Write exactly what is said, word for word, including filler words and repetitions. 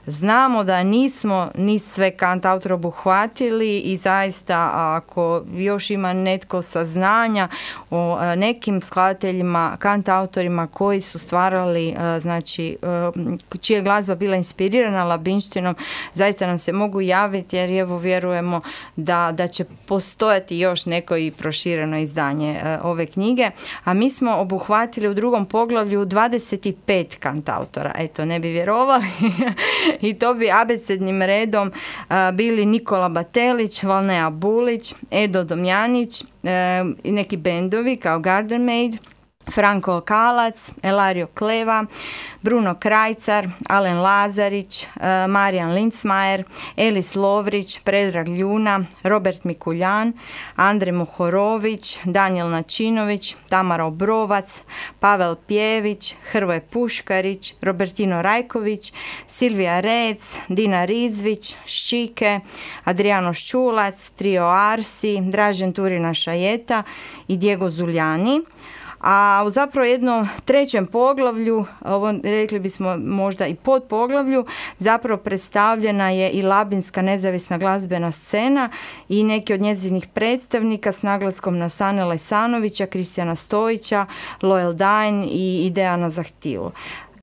Znamo da nismo ni sve kantautore obuhvatili i zaista ako još ima netko saznanja o nekim skladateljima, kantautorima koji su stvarali, znači čija je glazba bila inspirirana labinštinom, zaista nam se mogu javiti jer evo vjerujemo da, da će postojati još neko i prošireno izdanje ove knjige. A mi smo obuhvatili u drugom poglavlju dvadeset pet kantautora. Eto, ne bi vjerovali. I to bi abecednim redom bili Nikola Batelić, Valnea Bulić, Edo Domjanić i neki bendovi kao Garden Maid, Franko Kalac, Elario Kleva, Bruno Krajcar, Alen Lazarić, Marijan Lindsmajer, Elis Lovrić, Predrag Ljuna, Robert Mikuljan, Andrej Mohorović, Daniel Načinović, Tamara Obrovac, Pavel Pjević, Hrvoje Puškarić, Robertino Rajković, Silvija Rec, Dina Rizvić, Ščike, Adriano Ščulac, Trio Arsi, Dražen Turina Šajeta i Diego Zuljani. A u zapravo jednom trećem poglavlju, ovo rekli bismo možda i pod poglavlju, zapravo predstavljena je i labinska nezavisna glazbena scena i neki od njezinih predstavnika s naglaskom na Sanela Isanovića, Kristijana Stojića, Loyal Dine i Dejana Zahtilu.